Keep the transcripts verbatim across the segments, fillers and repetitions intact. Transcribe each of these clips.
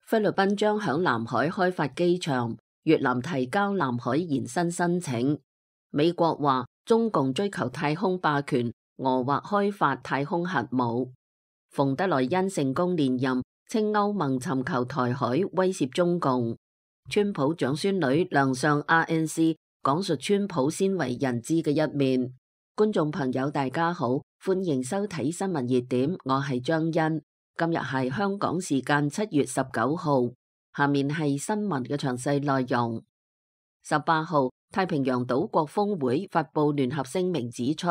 菲律賓將響南海開發機場，越南提交南海延伸申請。美國話中共追求太空霸權，俄或開發太空核武。馮德萊恩成功連任，稱歐盟尋求台海威脅中共。川普長孫女亮相 R N C， 講述川普鮮為人知嘅一面。觀眾朋友大家好，歡迎收睇新聞熱點，我係張欣。今日係香港時間七月十九號，下面係新聞嘅詳細內容。十八號，太平洋島國峰會發布聯合聲明，指出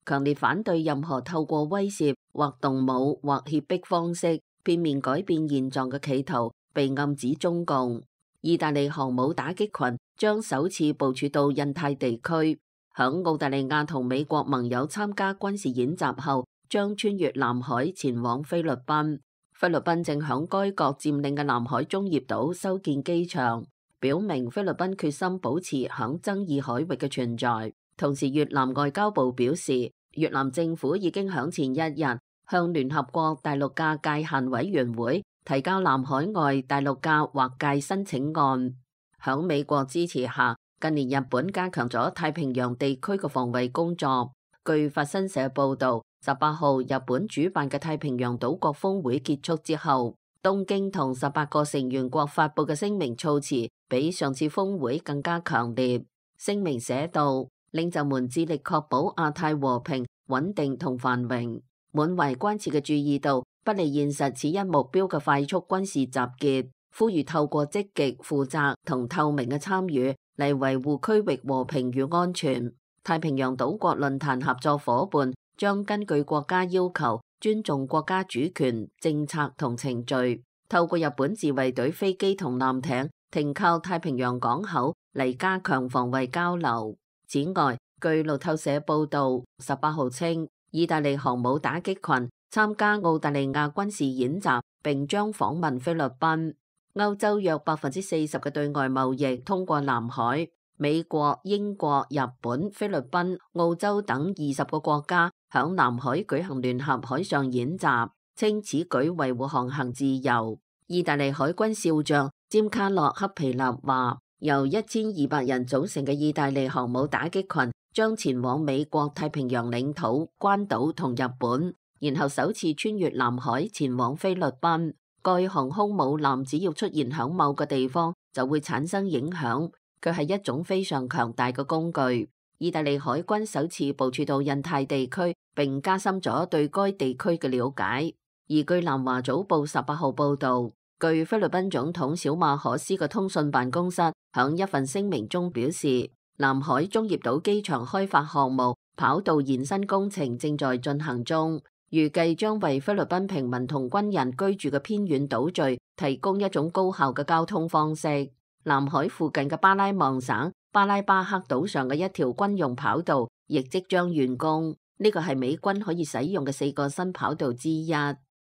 強烈反對任何透過威懾或動武或脅迫方式片面改變現狀嘅企圖，被暗指中共。意大利航母打擊群將首次部署到印太地區，響澳大利亞同美國盟友參加軍事演習後，將穿越南海前往菲律賓。菲律賓正響該國佔領嘅南海中業島修建機場，表明菲律賓決心保持響爭議海域嘅存在。同時，越南外交部表示，越南政府已經響前一日向聯合國大陸架界限委員會提交南海外大陸架劃界申請案。響美國支持下，近年日本加強咗太平洋地區嘅防衛工作。據法新社報道，十八號日本主辦嘅太平洋島國峰會結束之後，東京同十八個成員國發佈嘅聲明措辭比上次峰會更加強烈。聲明寫道，領袖們致力確保亞太和平、穩定同繁榮，滿懷關切嘅注意到不利現實此一目標嘅快速軍事集結，呼籲透過積極、負責同透明嘅參與嚟維護區域和平與安全。太平洋島國論壇合作夥伴將根據國家要求，尊重國家主權、政策同程序，透過日本自衛隊飛機同艦艇停靠太平洋港口嚟加強防衛交流。此外，據路透社報道，十八號稱意大利航母打擊群參加澳大利亞軍事演習，並將訪問菲律賓。歐洲約百分之四十嘅對外貿易通過南海。美國、英國、日本、菲律賓、澳洲等二十個國家響南海舉行聯合海上演習，稱此舉維護航行自由。意大利海軍少將詹卡洛克皮納話，由一千二百人組成嘅意大利航母打擊群將前往美國太平洋領土、關島同日本，然後首次穿越南海前往菲律賓。該航空母艦只要出現響某個地方，就會產生影響。佢係一種非常強大嘅工具。意大利海軍首次部署到印太地區，並加深咗對該地區嘅了解。而據南華早報十八號報導，據菲律賓總統小馬可斯嘅通訊辦公室響一份聲明中表示，南海中業島機場開發項目跑道延伸工程正在進行中，預計將為菲律賓平民同軍人居住嘅偏遠島嶼提供一種高效嘅交通方式。南海附近嘅巴拉望省巴拉巴克島上嘅一條軍用跑道亦即將完工，呢個係美軍可以使用嘅四個新跑道之一。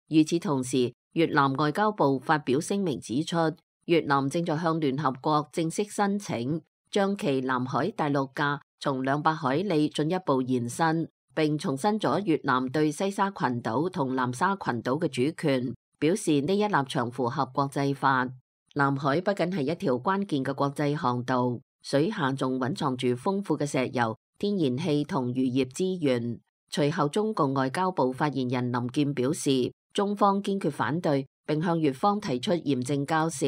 與此同時，越南外交部發表聲明指出，越南正在向聯合國正式申請，將其南海大陸架從兩百海里進一步延伸，並重申咗越南對西沙群島同南沙群島嘅主權，表示呢一立場符合國際法。南海不僅係一條關鍵嘅國際航道，水下仲蘊藏住豐富嘅石油、天然氣同漁業資源。隨後，中共外交部發言人林健表示，中方堅決反對，並向越方提出嚴正交涉。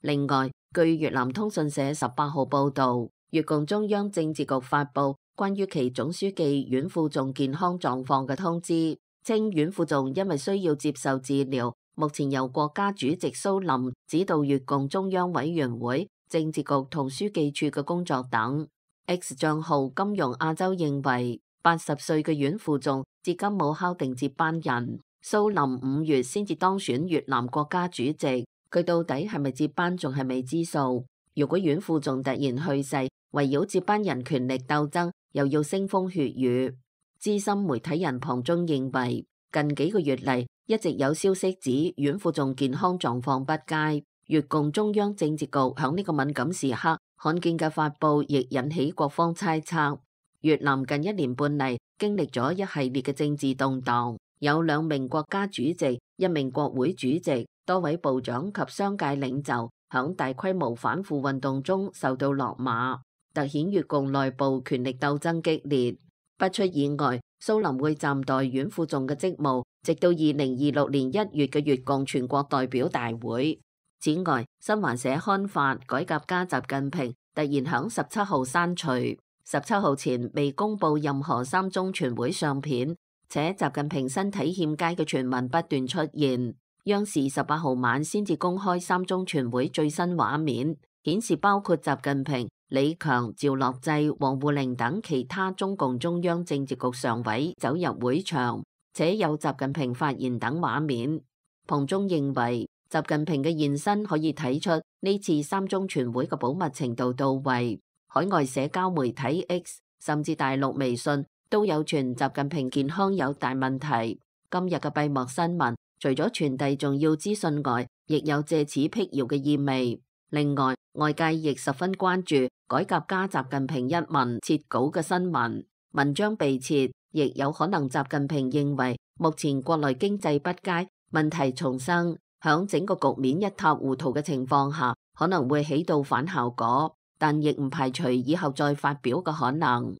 另外，據越南通訊社十八號報導，越共中央政治局發布關於其總書記阮富仲健康狀況嘅通知，稱阮富仲因為需要接受治療，目前由國家主席蘇林指導越共中央委員會、政治局同書記處嘅工作等。X 賬號金融亞洲認為，八十歲嘅阮富仲至今冇敲定接班人，蘇林五月先至當選越南國家主席，佢到底係咪接班仲係未知數。如果阮富仲突然去世，圍繞接班人權力鬥爭又要腥風血雨。資深媒體人龐中認為，近幾個月嚟，一直有消息指阮富仲健康狀況不佳，越共中央政治局響呢個敏感時刻罕見嘅發布，亦引起各方猜測。越南近一年半嚟經歷咗一系列嘅政治動盪，有兩名國家主席、一名國會主席、多位部長及商界領袖響大規模反腐運動中受到落馬，凸顯越共內部權力鬥爭激烈。不出意外，蘇林會暫代阮富仲嘅職務，直到二零二六年一月嘅越共全國代表大會。此外，新華社刊發改革家習近平突然響十七號刪除，十七號前未公布任何三中全會相片，且習近平身體欠佳嘅傳聞不斷出現。央視十八號晚先至公開三中全會最新畫面，顯示包括習近平、李強、趙樂際、王滬寧等其他中共中央政治局常委走入會場，且有習近平發言等畫面。彭中認為，習近平嘅現身可以睇出呢次三中全會嘅保密程度到位。海外社交媒體 X 甚至大陸微信都有傳習近平健康有大問題。今日嘅閉幕新聞除咗傳遞重要資訊外，亦有借此闢謠嘅意味。另外，外界亦十分關注改革家習近平一文撤稿嘅新聞，文章被撤，亦有可能習近平認為目前國內經濟不佳，問題叢生，響整個局面一塌糊塗嘅情況下，可能會起到反效果，但亦唔排除以後再發表嘅可能。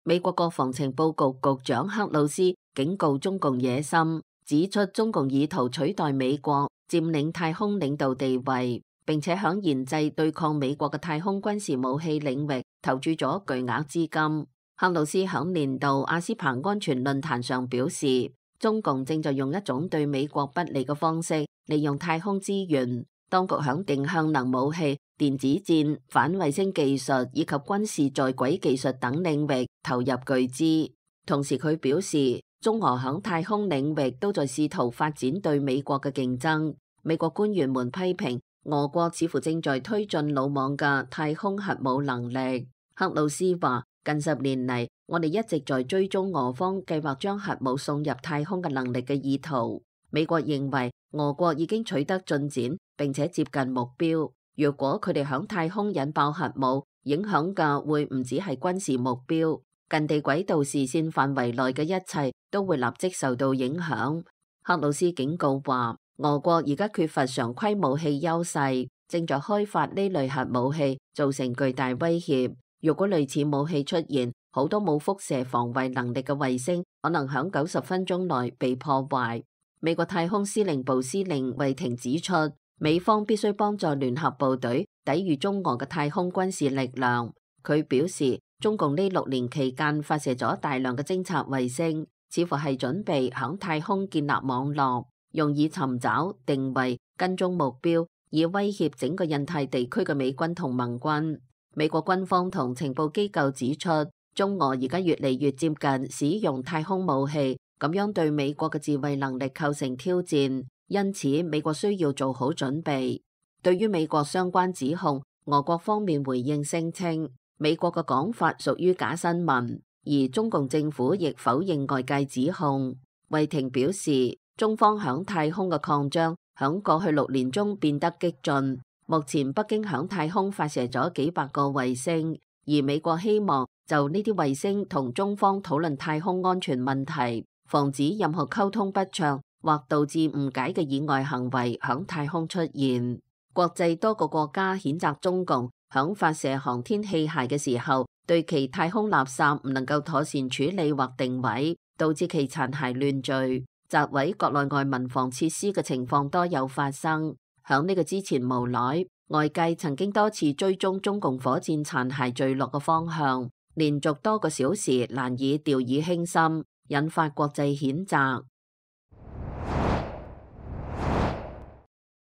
美國國防情報局局長克魯斯警告中共野心，指出中共意圖取代美國佔領太空領導地位，並且響研製對抗美國嘅太空軍事武器領域投注咗巨額資金。克魯斯響年度阿斯彭安全論壇上表示，中共正在用一種對美國不利嘅方式利用太空資源，當局響定向能武器、電子戰、反衛星技術以及軍事在軌技術等領域投入巨資。同時佢表示，中俄響太空領域都在試圖發展對美國嘅競爭。美國官員們批評俄國似乎正在推進魯莽嘅太空核武能力。克魯斯話，近十年嚟，我哋一直在追蹤俄方計劃將核武送入太空嘅能力嘅意圖。美國認為俄國已經取得進展，並且接近目標。若果佢哋響太空引爆核武，影響嘅會唔止係軍事目標，近地軌道視線範圍內嘅一切都會立即受到影響。克魯斯警告話，俄國而家缺乏常規武器優勢，正在開發呢類核武器，造成巨大威脅。如果類似武器出現，好多冇輻射防衛能力嘅衛星可能響九十分鐘內被破壞。美國太空司令部司令惠廷指出，美方必須幫助聯合部隊抵禦中俄嘅太空軍事力量。佢表示，中共呢六年期間發射咗大量嘅偵察衛星，似乎係準備響太空建立網絡，用以尋找、定位、跟蹤目標，以威脅整個印太地區嘅美軍同盟軍。美國軍方同情報機構指出，中俄而家越嚟越接近使用太空武器，咁樣對美國嘅自衛能力構成挑戰。因此，美國需要做好準備。對於美國相關指控，俄國方面回應聲稱，美國嘅講法屬於假新聞，而中共政府亦否認外界指控。惠廷表示，中方響太空嘅擴張響過去六年中變得激進。目前北京響太空發射咗幾百個衛星，而美國希望就呢啲衛星同中方討論太空安全問題，防止任何溝通不暢或導致誤解嘅意外行為響太空出現。國際多個國家譴責中共響發射航天器械嘅時候，對其太空垃圾唔能夠妥善處理或定位，導致其殘骸亂墜、砸毀國內外民防設施嘅情況多有發生。響呢個之前無耐，外界曾經多次追蹤中共火箭殘骸墜落嘅方向，連續多個小時難以掉以輕心，引發國際譴責。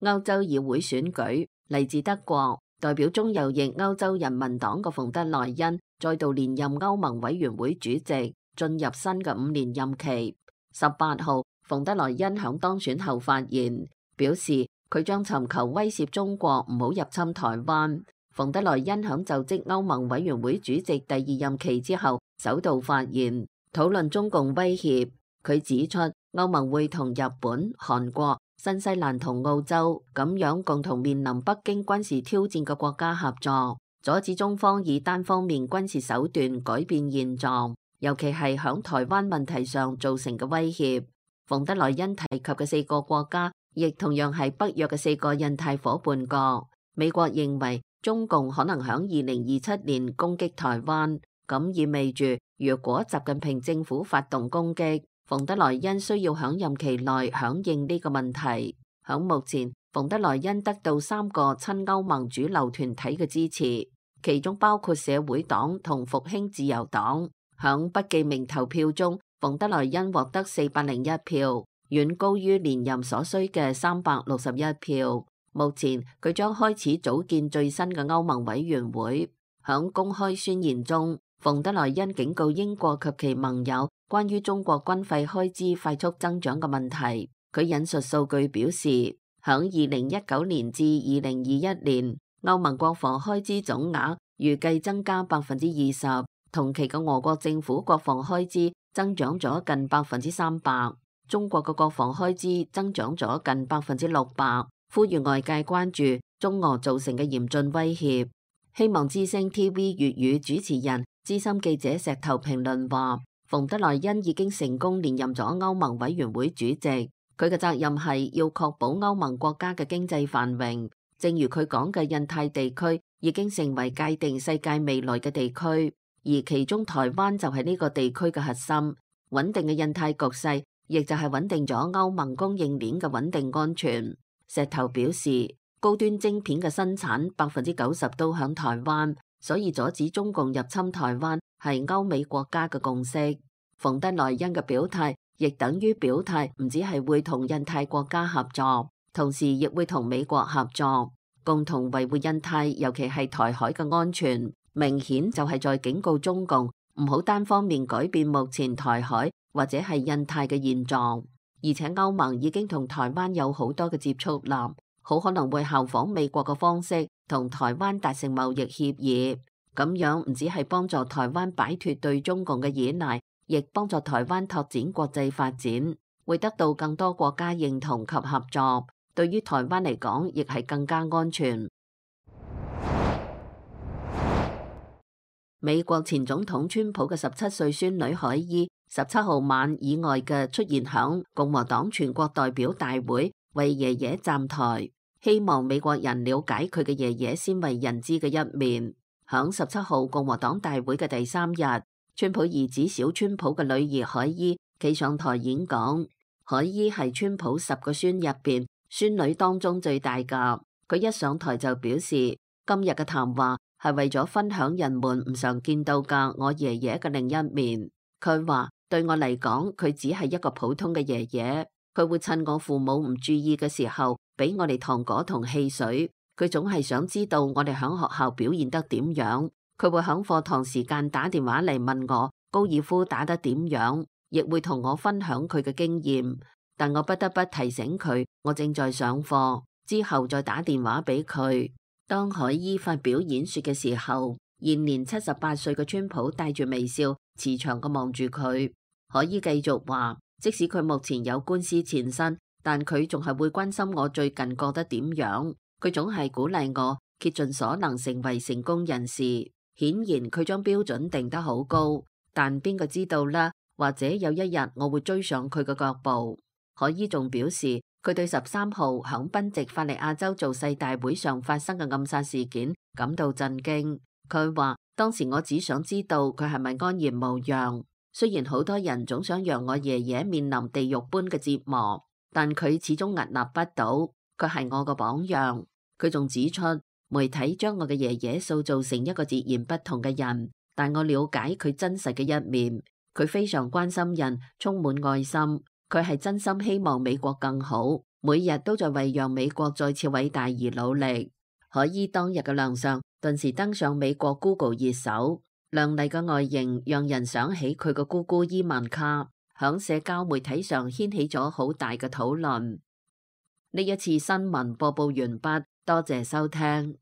歐洲議會選舉，嚟自德國代表中右翼歐洲人民黨嘅馮德萊恩再度連任歐盟委員會主席，進入新嘅五年任期。十八號，馮德萊恩響當選後發言，表示佢將尋求威懾中國唔好入侵台灣。馮德萊恩響就職歐盟委員會主席第二任期之後，首度發言，討論中共威脅。佢指出，歐盟會同日本、韓國、新西蘭同澳洲咁樣共同面臨北京軍事挑戰嘅國家合作，阻止中方以單方面軍事手段改變現狀，尤其係響台灣問題上造成嘅威脅。馮德萊恩提及嘅四個國家，亦同樣係北約嘅四個印太夥伴國。美國認為中共可能響二零二七年攻擊台灣，咁意味住如果習近平政府發動攻擊，馮德萊恩需要響任期內響應呢個問題。響目前，馮德萊恩得到三個親歐盟主流團體嘅支持，其中包括社會黨同復興自由黨。響不記名投票中，馮德萊恩獲得四百零一票，遠高於連任所需嘅三百六十一票。目前佢將開始組建最新嘅歐盟委員會。響公開宣言中，馮德萊恩警告英國及其盟友關於中國軍費開支快速增長嘅問題。佢引述數據表示，響二零一九年至二零二一年，歐盟國防開支總額預計增加百分之二十，同期嘅俄國政府國防開支增長咗近百分之三百，中國嘅國防開支增長咗近百分之六百。呼籲外界關注中俄造成嘅嚴峻威脅。希望之聲 T V 粵語主持人資深記者石頭評論話，馮德萊恩已經成功連任咗歐盟委員會主席，佢嘅責任係要確保歐盟國家嘅經濟繁榮。正如佢講嘅，印太地區已經成為界定世界未來嘅地區，而其中台灣就係呢個地區嘅核心。穩定嘅印太局勢，亦就係穩定咗歐盟供應鏈嘅穩定安全。石頭表示，高端晶片嘅生產百分之九十都響台灣，所以阻止中共入侵台灣係歐美國家嘅共識。馮德萊恩嘅表態亦等於表態，唔只係會同印太國家合作，同時亦會同美國合作，共同維護印太，尤其係台海嘅安全。明顯就係在警告中共唔好單方面改變目前台海或者係印太嘅現狀。而且歐盟已經同台灣有好多嘅接觸啦，好可能會效仿美國嘅方式，同台灣達成貿易協議。咁樣唔只係幫助台灣擺脫對中共嘅依賴，亦幫助台灣拓展國際發展，會得到更多國家認同及合作。對於台灣嚟講，亦係更加安全。美國前總統川普嘅十七歲孫女海伊，十七號晚以外嘅出現響共和黨全國代表大會，為爺爺站台，希望美國人了解佢嘅爺爺鮮為人知嘅一面。響十七號共和黨大會嘅第三日，川普兒子小川普嘅女兒海伊企上台演講。海伊係川普十個孫入邊孫女當中最大噶。佢一上台就表示，今日嘅談話係為咗分享人們唔常見到嘅我爺爺嘅另一面。佢話，對我嚟講，佢只係一個普通嘅爺爺，佢會趁我父母唔注意嘅時候俾我哋糖果同汽水。佢總係想知道我哋響學校表現得點樣，佢會響課堂時間打電話嚟問我高爾夫打得點樣，亦會同我分享佢嘅經驗。但我不得不提醒佢，我正在上課，之後再打電話俾佢。當海伊發表演說嘅時候，現年七十八歲嘅川普帶住微笑，慈祥咁望住佢。海伊繼續話，即使佢目前有官司纏身，但佢仲係會關心我最近過得點樣。佢總係鼓勵我竭盡所能成為成功人士。顯然佢將標準定得好高，但邊個知道呢？或者有一日我會追上佢嘅腳步。海伊仲表示，佢對十三號響賓夕法尼亞州造勢大會上發生嘅暗殺事件感到震驚。佢話，當時我只想知道佢係咪安然無恙。雖然好多人總想讓我爺爺面臨地獄般嘅折磨，但佢始終屹立不倒。佢係我個榜樣。佢仲指出，媒體將我嘅爺爺塑造成一個截然不同嘅人，但我了解佢真實嘅一面。佢非常關心人，充滿愛心。佢係真心希望美國更好，每日都在為讓美國再次偉大而努力。海伊當日嘅亮相頓時登上美國 Google 熱搜，亮麗嘅外形讓人想起佢嘅姑姑伊萬卡，響社交媒體上掀起咗好大嘅討論。呢一次新聞播報完畢，多謝收聽。